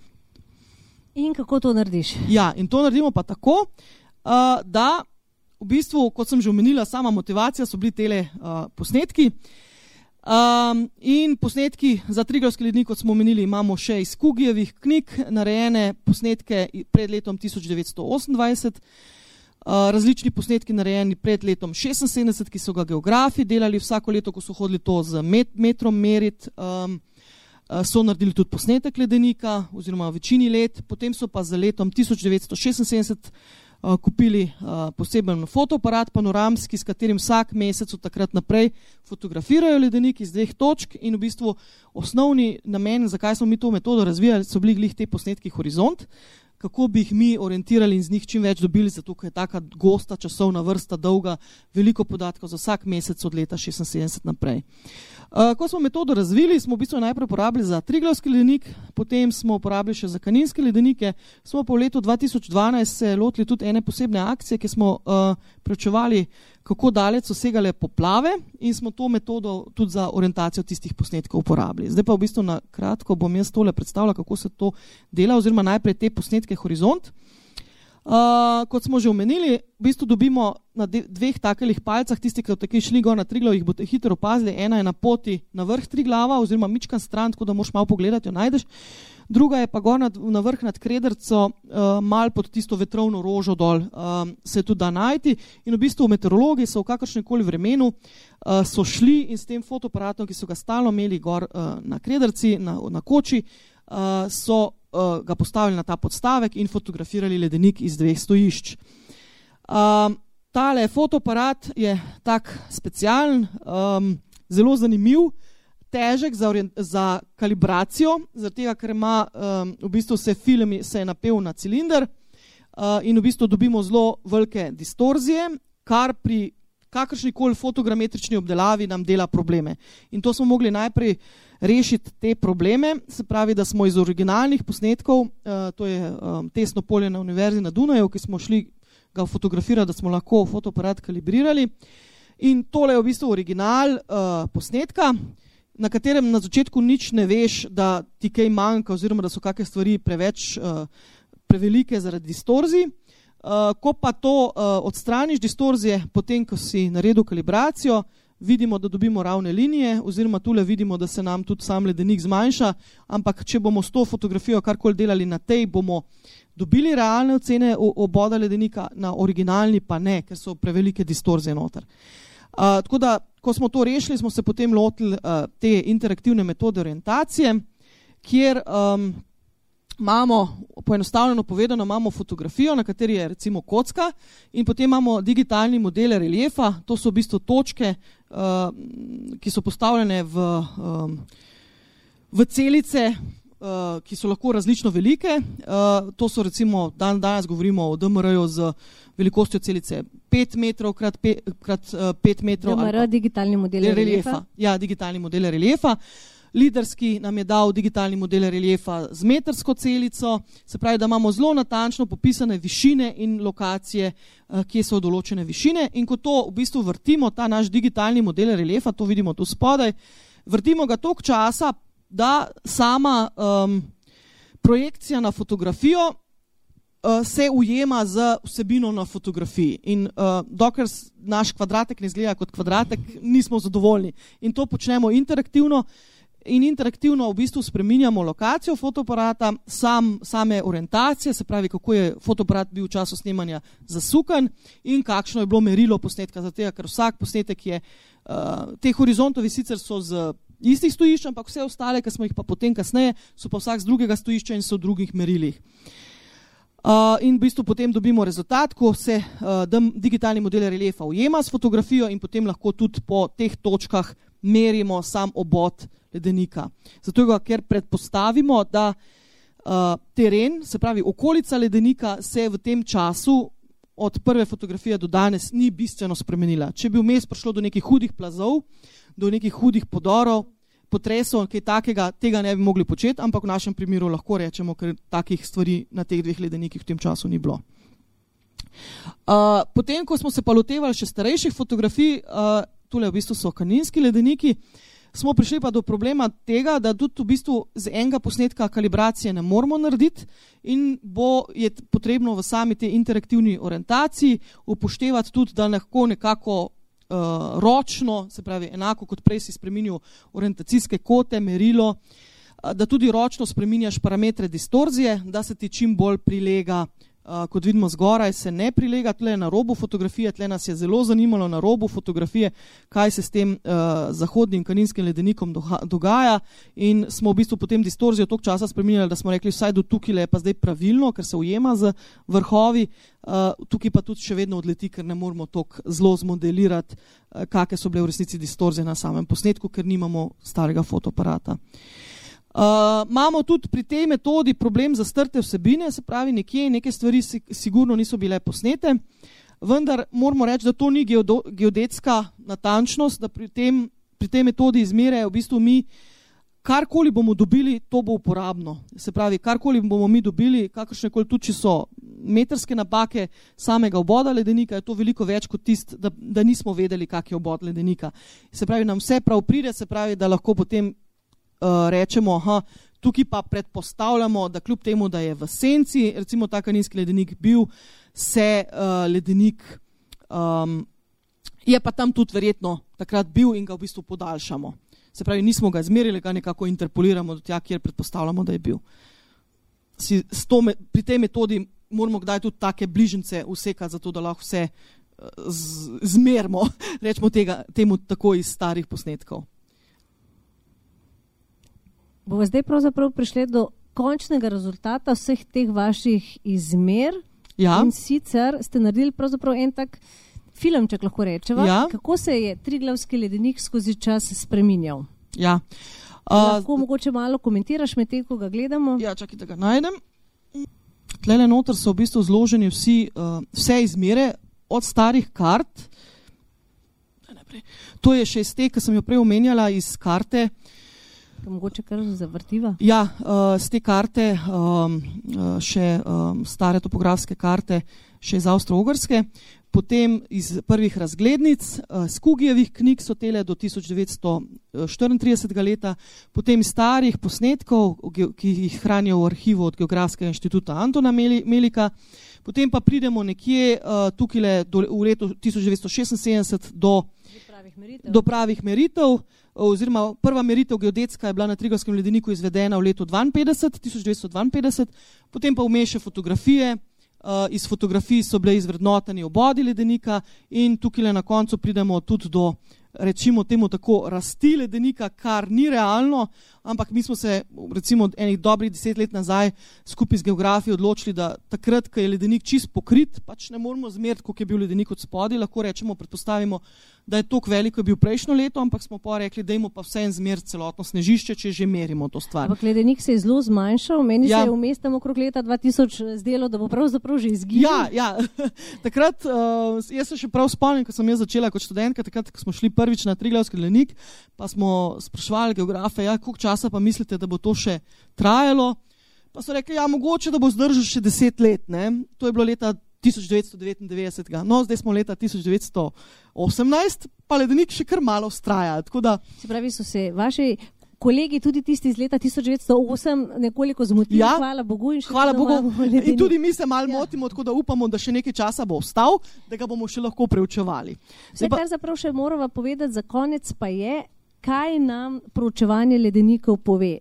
In kako to narediš? Ja, in to naredimo pa tako, da v bistvu, kot sem že omenila, sama motivacija so bili tele posnetki. In posnetki za Triglavski ledenik, kot smo omenili, imamo še iz Kugijevih knjig narejene posnetke pred letom 1928, različni posnetki narejeni pred letom 1976, ki so ga geografi delali vsako leto, ko so hodili to z metrom meriti, so naredili tudi posnetek ledenika oziroma v večini let, potem so pa za letom 1976 kupili poseben fotoaparat panoramski, s katerim vsak mesec od takrat naprej fotografirajo ledenik iz 2 točk in v bistvu osnovni namen, zakaj smo mi to metodo razvijali, so bili glih te posnetki Horizont, kako bi jih mi orientirali in z njih čim več dobili, zato ker je taka gosta časovna vrsta, dolga, veliko podatkov za vsak mesec od leta 1976 naprej. Ko smo metodo razvili, smo v bistvu najprej uporabili za Triglavski ledenik, potem smo uporabili še za Kaninske ledenike, smo pa v letu 2012 se lotili tudi ene posebne akcije, ki smo preučevali, kako daleč so segale poplave in smo to metodo tudi za orientacijo tistih posnetkov uporabili. Zdaj pa v bistvu na kratko bom jaz tole predstavila, kako se to dela, oziroma najprej te posnetke Horizont. Kot smo že omenili, v bistvu dobimo na 2 takelih palcah, tisti, ki so tako šli gor na Triglav, jih boste hitro opazili, ena je na poti na vrh Triglava oziroma mičkan stran, tako da moraš malo pogledati, jo najdeš. Druga je pa gor na vrh nad Krederco, mal pod tisto vetrovno rožo dol, se tudi da najti. In v bistvu meteorologi so v kakršnemkoli vremenu so šli in s tem fotoaparatom, ki so ga stalno imeli gor na Krederci, na koči, so ga postavili na ta podstavek in fotografirali ledenik iz 2 stojišč. Tale fotoaparat je tak specialen, zelo zanimiv, težek za kalibracijo, zaradi tega, ker ima v bistvu se je napel na cilinder in v bistvu dobimo zelo velike distorzije, kar pri kakršnikoli fotogrametrični obdelavi nam dela probleme. In to smo mogli najprej rešiti te probleme, se pravi, da smo iz originalnih posnetkov, to je testno polje na Univerzi na Dunaju, ki smo šli ga fotografirati, da smo lahko fotoaparat kalibrirali. In tole je v bistvu original posnetka, na katerem na začetku nič ne veš, da ti kaj manjka oziroma da so kakšne stvari prevelike zaradi distorzij. Ko pa to odstraniš distorzije, potem ko si naredil kalibracijo, vidimo, da dobimo ravne linije oziroma tule vidimo, da se nam tudi sam ledenik zmanjša, ampak če bomo s to fotografijo karkoli delali na tej, bomo dobili realne ocene oboda ledenika, na originalni pa ne, ker so prevelike distorzije noter. Tako da, ko smo to rešili, smo se potem lotili te interaktivne metode orientacije, kjer imamo, poenostavljeno povedano, imamo fotografijo, na kateri je recimo kocka in potem imamo digitalni model reliefa, to so v bistvu točke, ki so postavljene v celice, ki so lahko različno velike. To so recimo, danes govorimo o DMR-ju z velikostjo celice 5 metrov krat 5 metrov. DMR, digitalni model reliefa. Ja, digitalni model reliefa. Liderski nam je dal digitalni model reliefa z metrsko celico, se pravi, da imamo zelo natančno popisane višine in lokacije, kje so določene višine. In ko to v bistvu vrtimo, ta naš digitalni model reliefa, to vidimo tu spodaj, vrtimo ga toliko časa, da sama projekcija na fotografijo se ujema z vsebino na fotografiji. In dokler naš kvadratek ne izgleda kot kvadratek, nismo zadovoljni. In to počnemo interaktivno. in interaktivno v bistvu spreminjamo lokacijo fotoaparata, same orientacije, se pravi, kako je fotoaparat bil v času snemanja zasukan in kakšno je bilo merilo posnetka, zato ker vsak posnetek je, te horizontovi sicer so z istih stojišč, ampak vse ostale, ki smo jih pa potem kasneje, so pa vsak z drugega stojišča in so v drugih merilih. In v bistvu potem dobimo rezultat, ko se digitalni model reliefa ujema s fotografijo in potem lahko tudi po teh točkah merimo sam obod ledenika. Zato, ker predpostavimo, da teren, se pravi okolica ledenika, se v tem času od prve fotografije do danes ni bistveno spremenila. Če bi vmes prišlo do nekih hudih plazov, do nekih hudih podorov, potresov, kaj takega, tega ne bi mogli početi, ampak v našem primeru lahko rečemo, ker takih stvari na teh dveh ledenikih v tem času ni bilo. Potem, ko smo se pa lotevali še starejših fotografij, tule v bistvu so kaninski ledeniki, smo prišli pa do problema tega, da tudi v bistvu z enega posnetka kalibracije ne moramo narediti in je potrebno v sami tej interaktivni orientaciji upoštevati tudi, da lahko nekako ročno, se pravi enako kot prej si spreminjal orientacijske kote, merilo, da tudi ročno spreminjaš parametre distorzije, da se ti čim bolj prilega, kot vidimo zgoraj, se ne prilega tle na robu fotografije, tle nas je zelo zanimalo na robu fotografije, kaj se s tem zahodnim kaninskim ledenikom dogaja in smo v bistvu potem distorzijo toliko časa spreminjali, da smo rekli, vsaj do tukaj je pa zdaj pravilno, ker se ujema z vrhovi, tukaj pa tudi še vedno odleti, ker ne moramo toliko zelo zmodelirati, kakve so bile v resnici distorzije na samem posnetku, ker nimamo starega fotoaparata. Imamo tudi pri tej metodi problem zastrte vsebine, se pravi neke stvari sigurno niso bile posnete, vendar moramo reči, da to ni geodetska natančnost, da pri tej metodi izmere v bistvu mi karkoli bomo dobili, to bo uporabno. Se pravi, karkoli bomo mi dobili, kakršnekoli tudi, če so metrske napake samega oboda ledenika, je to veliko več kot tist, da nismo vedeli, kak je obod ledenika. Se pravi, nam vse prav pride, se pravi, da lahko potem rečemo, tukaj pa predpostavljamo, da kljub temu, da je v senci, recimo ta kaninski ledenik bil, se ledenik je pa tam tudi verjetno takrat bil in ga v bistvu podaljšamo. Se pravi, nismo ga izmerili, ga nekako interpoliramo do tja, kjer predpostavljamo, da je bil. Pri tej metodi moramo kdaj tudi take bližnjice usekati, zato da lahko vse zmerimo, rečemo temu tako iz starih posnetkov. Bomo zdaj pravzaprav prišli do končnega rezultata vseh teh vaših izmer. Ja. In sicer ste naredili pravzaprav en tak filmček, lahko rečeva, ja. Kako se je Triglavski ledenik skozi čas spreminjal. Ja. Lahko mogoče malo komentiraš med tem, ko ga gledamo. Ja, čakaj, da ga najdem. Tlele noter so v bistvu zloženi vse izmere od starih kart. To je še iz te, ki sem jo prej omenjala, iz karte. Mogoče kar zavrtiva? Ja, z te karte, še stare topografske karte, še iz Avstro-Ogrske, potem iz prvih razglednic, z Kugijevih knjig so tele do 1934 leta, potem starih posnetkov, ki jih hranijo v arhivu od Geografskega inštituta Antona Melika, potem pa pridemo nekje tukaj v letu 1976 do pravih meritev, oziroma prva meritev geodetska je bila na Triglavskem ledeniku izvedena v letu 1952, potem pa vmes še fotografije, iz fotografij so bile izvrednoteni obodi ledenika in tukaj na koncu pridemo tudi do, rečimo temu tako, rasti ledenika, kar ni realno, ampak mi smo se recimo enih dobrih 10 let nazaj skupaj z geografi odločili, da takrat, ko je ledenik čist pokrit, pač ne moramo zmeriti, koliko je bil ledenik od spodaj, lahko rečemo, predpostavimo, da je toliko veliko je bil prejšnjo leto, ampak smo pa rekli, dajmo pa vse en zmeriti celotno snežišče, če že merimo to stvar. Ampak ledenik se je zelo zmanjšal, meni se je vmes tam okrog leta 2000 zdelo, da bo pravzaprav že izginil. Ja. Takrat, jaz se še prav spomnim, ko sem jaz začela kot študentka, takrat, ko smo šli prvič na Triglavski ledenik, pa smo spraševali geografe, koliko časa pa mislite, da bo to še trajalo. Pa so rekli, mogoče, da bo zdržal še 10 let, ne? To je bilo leta 1999. No, zdaj smo leta 1918, pa ledenik še kar malo vztraja. Se pravi, so se vaši kolegi, tudi tisti iz leta 1908, nekoliko zmotili, ja, hvala Bogu. Hvala Bogu. In tudi mi se malo motimo, tako da upamo, da še nekaj časa bo ostal, da ga bomo še lahko preučevali. Kar zaprav še moramo povedati za konec pa je, kaj nam proučevanje ledenikov pove.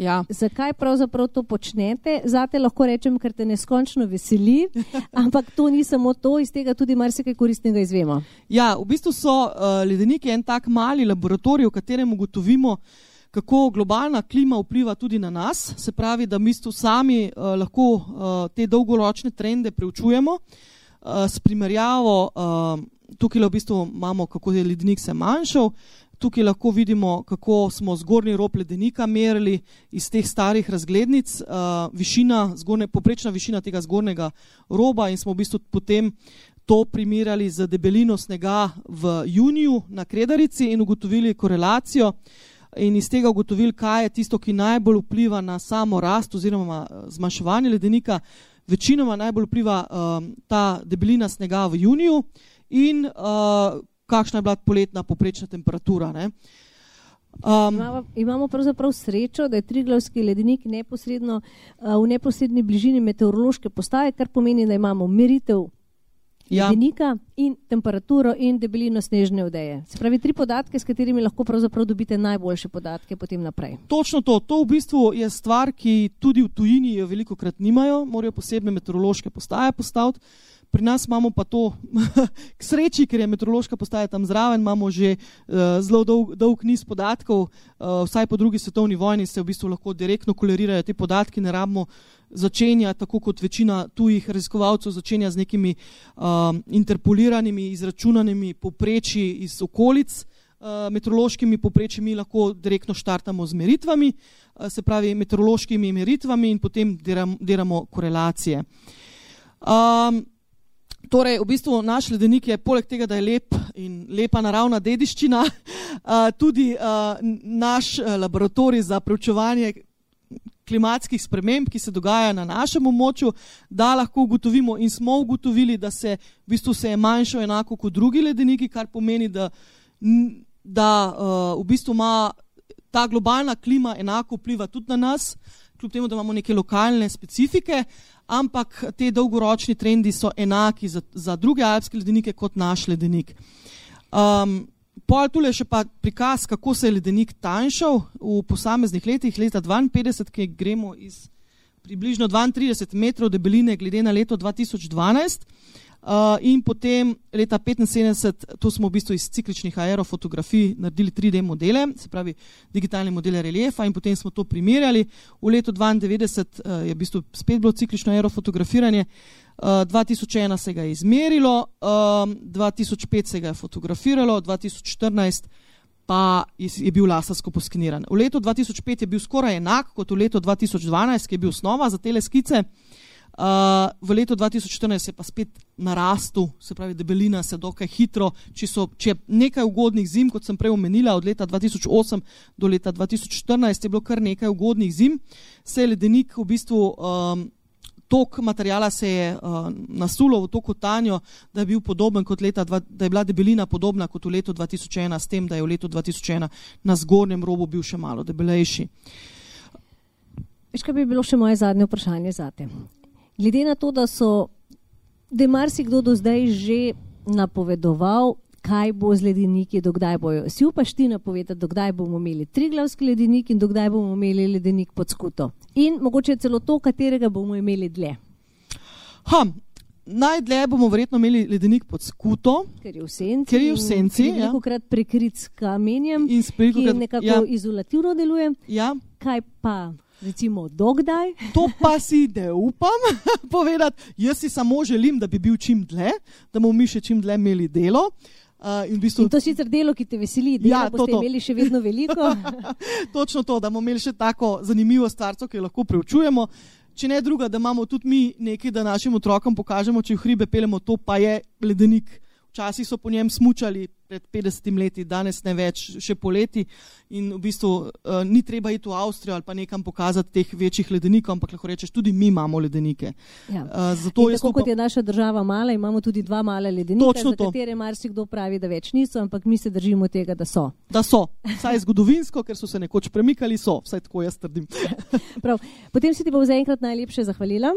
Ja. Zakaj pravzaprav to počnete? Zate lahko rečem, ker te neskončno veseli, ampak to ni samo to, iz tega tudi marsikaj koristnega izvemo. Ja, v bistvu so ledeniki en tak mali laboratorij, v katerem ugotovimo, kako globalna klima vpliva tudi na nas, se pravi, da v bistvu sami lahko te dolgoročne trende preučujemo s primerjavo, tukaj v bistvu imamo, kako je ledenik se manjšal. Tukaj lahko vidimo, kako smo zgornji rob ledenika merili iz teh starih razglednic, poprečna višina tega zgornjega roba in smo v bistvu potem to primerjali z debelino snega v juniju na Kredarici in ugotovili korelacijo in iz tega ugotovili, kaj je tisto, ki najbolj vpliva na samo rast oziroma zmanjševanje ledenika. Večinoma najbolj vpliva ta debelina snega v juniju in kakšna je bila poletna poprečna temperatura. Ne? Imamo pravzaprav srečo, da je Triglavski ledenik v neposredni bližini meteorološke postaje, kar pomeni, da imamo meritev ledenika in temperaturo in debelino snežne odeje. Se pravi, 3 podatke, s katerimi lahko pravzaprav dobite najboljše podatke potem naprej. Točno to. To v bistvu je stvar, ki tudi v tujini jo velikokrat nimajo, morajo posebne meteorološke postaje postaviti. Pri nas imamo pa to k sreči, ker je meteorološka postaja tam zraven, imamo že zelo dolg niz podatkov, vsaj po drugi svetovni vojni se v bistvu lahko direktno kolerirajo te podatki, ne rabimo začenja, tako kot večina tujih raziskovalcev, začenja z nekimi interpoliranimi, izračunanimi poprečji iz okolic, meteorološkimi poprečji mi lahko direktno štartamo z meritvami, se pravi meteorološkimi meritvami in potem delamo korelacije. Torej, v bistvu naš ledenik je, poleg tega, da je lep in lepa naravna dediščina, tudi naš laboratorij za preučevanje klimatskih sprememb, ki se dogajajo na našem območju, da lahko ugotovimo in smo ugotovili, da se v bistvu se je manjšal enako kot drugi ledeniki, kar pomeni, da v bistvu ima ta globalna klima enako vpliva tudi na nas, kljub temu, da imamo neke lokalne specifike, ampak te dolgoročni trendi so enaki za druge alpske ledenike kot naš ledenik. Tule še pa prikaz, kako se je ledenik tanjšal v posameznih letih. Leta 1952, ki gremo iz približno 32 metrov debeline glede na leto 2012, in potem leta 1975, to smo v bistvu iz cikličnih aerofotografij naredili 3D modele, se pravi digitalne modele reliefa in potem smo to primerjali. V letu 1992 je v bistvu spet bilo ciklično aerofotografiranje, 2001 se ga je izmerilo, 2005 se ga je fotografiralo, 2014 pa je bil lasersko poskeniran. V letu 2005 je bil skoraj enak kot v letu 2012, ki je bil osnova za tele skice. V letu 2014 je pa spet narastel, se pravi debelina se dokaj hitro, če nekaj ugodnih zim, kot sem prej omenila, od leta 2008 do leta 2014 je bilo kar nekaj ugodnih zim, se je ledenik v bistvu tok materijala se je nasulo v to kotanjo, da je bil podoben kot da je bila debelina podobna kot v letu 2001, s tem, da je v letu 2001 na zgornjem robu bil še malo debelejši. Veš, kaj bi bilo še moje zadnje vprašanje zate? Glede na to, da je marsikdo do zdaj že napovedoval, kaj bo z ledeniki, dokdaj bojo. Si upaš ti napovedati, dokdaj bomo imeli Triglavski ledenik in dokdaj bomo imeli ledenik pod Skuto? In mogoče celo to, katerega bomo imeli dlje? Najdlje bomo verjetno imeli ledenik pod Skuto, ker je v senci in velikokrat prekrit s kamenjem, ki nekako izolativno deluje. Ja. Kaj pa recimo dokdaj? To pa si ne upam povedati. Jaz si samo želim, da bi bil čim dlje, da bomo mi še čim dlje imeli delo. In to sicer delo, ki te veseli, dela boste imeli še vedno veliko. Točno to, da bomo imeli še tako zanimivo stvarco, ki jo lahko preučujemo. Če ne druga, da imamo tudi mi nekaj, da našim otrokom pokažemo, če v hribe pelemo, to pa je ledenik. Včasih so po njem smučali pred 50 leti, danes ne več, še poleti in v bistvu ni treba iti v Avstrijo ali pa nekam pokazati teh večjih ledenikov, ampak lahko rečeš, tudi mi imamo ledenike. Ja. Tako kot je naša država mala, imamo tudi 2 male ledenika, za katere marsikdo pravi, da več niso, ampak mi se držimo tega, da so. Da so, vsaj zgodovinsko, ker so se nekoč premikali, so, vsaj tako jaz trdim. Prav. Potem si ti bom zaenkrat najlepše zahvalila.